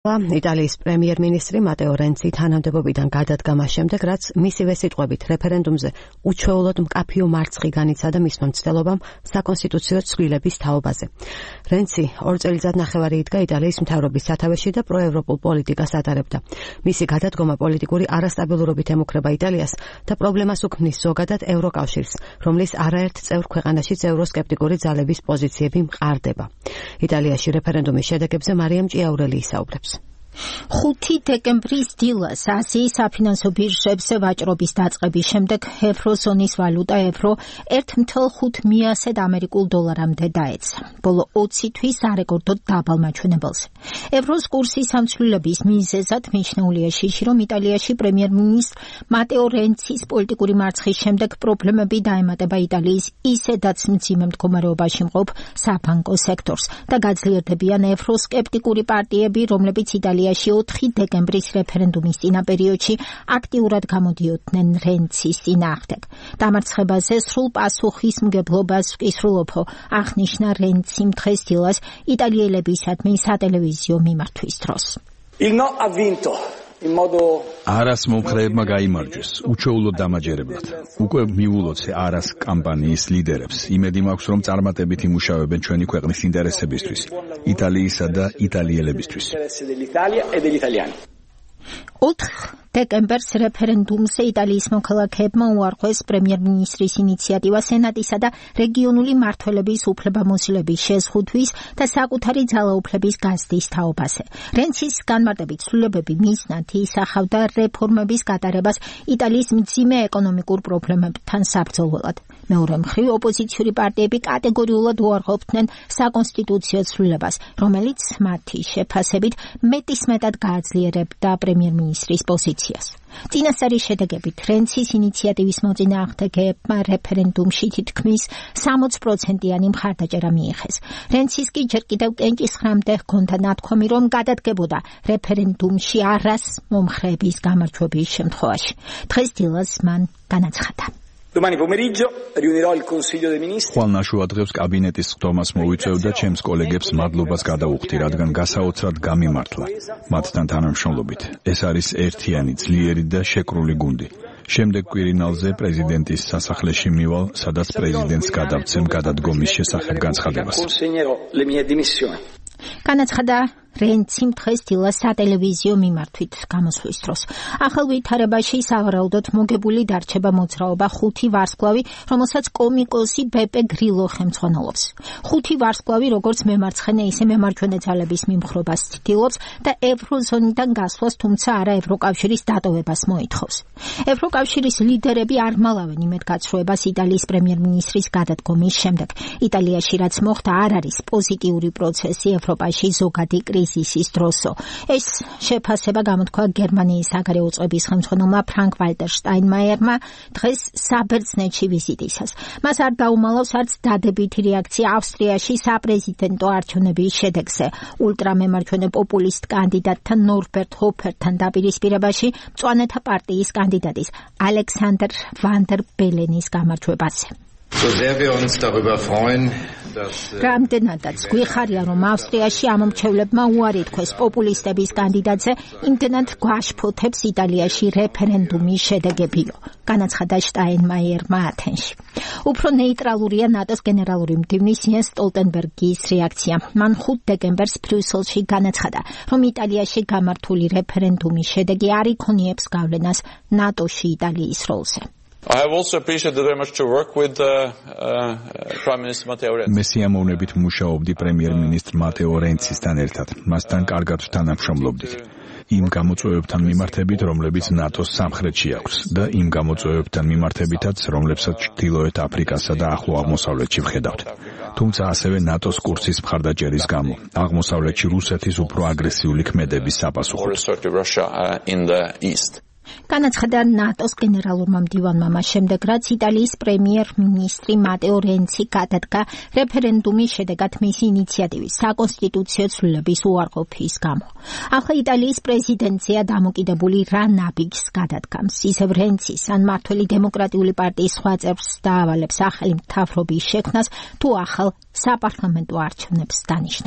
იტალიის პრემიერ-მინისტრი მატეო რენცი თანამდებობიდან გადადგა მას შემდეგ, რაც მისივე სიტყვებით რეფერენდუმზე უჩვეულოდ მკაფიო მარცხი განიცადა მისმა მცდელობამ საკონსტიტუციო ცვლილების თაობაზე. რენცი 2 წელიწად ნახევარი იდგა იტალიის მთავრობის სათავეში და პროევროპულ პოლიტიკას ატარებდა. მისი გადადგომა პოლიტიკური არასტაბილურობით ემუქრება იტალიას და პრობლემას უქმნის ზოგადად ევროკავშირს, რომლის არაერთ წევრ ქვეყანაშიც ევროსკეპტიკური ძალების პოზიციები მყარდება. იტალიაში რეფერენდუმის შედეგებზე მარიამ ჭიაურელი ისაუბრებს. 5 დეკემბრის დილას აზიის საფინანსო ბირჟებს ვაჭრობის დაწყების შემდეგ ევროზონის ვალუტა ევრო 1.5 ამერიკულ დოლარამდე დაეცა. ბოლო 20 თვის არეკორდოდ დაბალ მაჩვენებელზე. ევროს კურსის სამცვლელების მიზეზად მიჩნეულია შიში, რომ იტალიაში პრემიერ-მინისტრ მატეო რენცის პოლიტიკური მარცხის შემდეგ პრობლემები დაემატება იტალიის ისედაც მძიმე მდგომარეობაში მყოფ საბანკო სექტორს და გაძლიერდებიან ევროსკეპტიკური პარტიები, რომლებიც იტალიაში 4 დეკემბრის რეფერენდუმის წინა პერიოდში აქტიურად გამოდიოდნენ რენცის წინააღმდეგ. დამარცხებაზე სრულ პასუხისმგებლობას ვკისრულობ, აღნიშნა რენციმ დღეს დილას იტალიელებისადმი სატელევიზიო მიმართვის დროს. არას მომხრეებმა გაიმარჯვეს, უჩვეულოდ დამაჯერებლად. უკვე მიულოც არას კამპანიის ლიდერებს. იმედი მაქვს, რომ წარმატებით იმუშავებენ ჩვენი ქვეყნის ინტერესებისთვის, იტალიისა და იტალიელებისთვის. 4 დეკემბერს რეფერენდუმზე იტალიის მოქალაქეებმა უარყვეს პრემიერ-მინისტრის ინიციატივა სენატისა და რეგიონული მმართველების უფლებამოსილების შეზღუდვის და საკუთარი ძალაუფლების გაზრდის თაობაზე. რენცის განმარტებით ცვლილებები მიზნად ისახავდა რეფორმების გატარებას იტალიის მძიმე ეკონომიკურ პრობლემებთან საბრძოლველად. მეორე მხრივ ოპოზიციური პარტიები კატეგორიულად უარყოფდნენ საკონსტიტუციო ცვლილებას, რომელიც მათი შეფასებით მეტისმეტად გააძლიერებდა პრემიერ-მინისტრის პოზიციას. წინასწარი შედეგებით რენცის ინიციატივის მოწინააღმდეგეებმა რეფერენდუმში თითქმის 60%-იანი მხარდაჭერა მიიღეს. რენცის კი ჯერ კიდევ კენჭისხრამდე ჰქონდა ნათქვამი, რომ გადადგებოდა რეფერენდუმში არას მომხრეების გამარჯვების შემთხვევაში. დღეს დილას მან განაცხადა. ხვალ ნაშუა დღეს კაბინეტის ხდომას მოვიწევ და ჩემს კოლეგებს მადლობას გადავუხდი, რადგან გასაოცრად გამიმართლა მათთან თანამშრომლობით. ეს არის ერთიანი, ძლიერი და შეკრული გუნდი. შემდეგ კვირინალზე პრეზიდენტის სასახლეში მივალ, სადაც პრეზიდენტს გადავცემ გადადგომის შესახებ განცხადებას. განაცხადა რენციმ დღეს დილას სატელევიზიო მიმართვით გამოსვლის დროს. ახალ ვითარებაში სავარაუდოდ მოგებული დარჩება მოძრაობა 5 ვარსკვლავი, რომელსაც კომიკოსი ბეპე გრილო ხელმძღვანელობს. 5 ვარსკვლავი როგორც მემარცხენე, ისე მემარჯვენე ძალების მიმხრობას ცდილობს და ევროზონიდან გასვლას, თუმცა არა ევროკავშირის დატოვებას მოითხოვს. ევროკავშირის ლიდერები არ მალავენ იმედგაცრუებას იტალიის პრემიერ-მინისტრის გადადგომის შემდეგ. იტალიაში რაც მოხდა, არ არის პოზიტიური პროცესი ევროპაში ზოგადი კრიზისის დროსო. ეს შეფასება გამოთქვა გერმანიის საგარეო წყების ხელმძღვანელმა ფრანკ ვალტერ შტაინმაიერმა დღეს საბერძნეთში ვიზიტისას. მას არ დაუმალავს არც დადებითი რეაქცია ავსტრიაში საპრეზიდენტო არჩევნების შედეგზე. ულტრამემარჯვენე პოპულისტ კანდიდატთან ნორბერტ ჰოფერთან დაპირისპირებაში მწვანეთა პარტიის კანდიდატის ალექსანდრ ვანდერ ბელენის გამარჯვებაზე. რამდენადაც გვიხარია, რომ ავსტრიაში ამომრჩევლებმა უარი თქვეს პოპულისტების კანდიდატზე, იმდენად გვაშფოთებს იტალიაში რეფერენდუმის შედეგებიო, განაცხადა შტაინმაიერმა ათენში. უფრო ნეიტრალურია ნატოს გენერალური მდივნის იენს სტოლტენბერგის რეაქცია. მან 5 დეკემბერს ბრიუსელში განაცხადა, რომ იტალიაში გამართული რეფერენდუმის შედეგი არ იქონიებს გავლენას ნატოში იტალიის როლზე. I have also appreciated very much to work with Prime Minister Matteo Renzi. მე სიამოვნებით მუშაობდი პრემიერ-მინისტრ მატეო რენცისთან ერთად. მასთან კარგად ვთანამშრომლობდით. იმ გამოწვევებთან მიმართებით, რომლებიც ნატოს სამხრეთში აქვს და იმ გამოწვევებთან მიმართებითაც, რომლებსაც ჩრდილოეთ აფრიკასა და ახლო აღმოსავლეთში ვხედავთ. თუმცა ასევე ნატოს კურსის მხარდაჭერის გამო, აღმოსავლეთში რუსეთის უფრო აგრესიული ქმედების საპასუხოდ. განაცხადა ნატოს გენერალურმა მდივანმა მას შემდეგ, რაც იტალიის პრემიერ-მინისტრი მატეო რენცი გადადგა რეფერენდუმის შედეგად მისი ინიციატივის საკონსტიტუციო ცვლილების უარყოფის გამო. ახლა იტალიის პრეზიდენცია დამოკიდებული რა ნაბიჯს გადადგამს. ისევ რენცის ან მმართველი დემოკრატიული პარტიის სხვა წევრს დაავალებს ახალი მთავრობის შექმნას, თუ ახალ საპარლამენტო არჩევნებს დანიშნავს.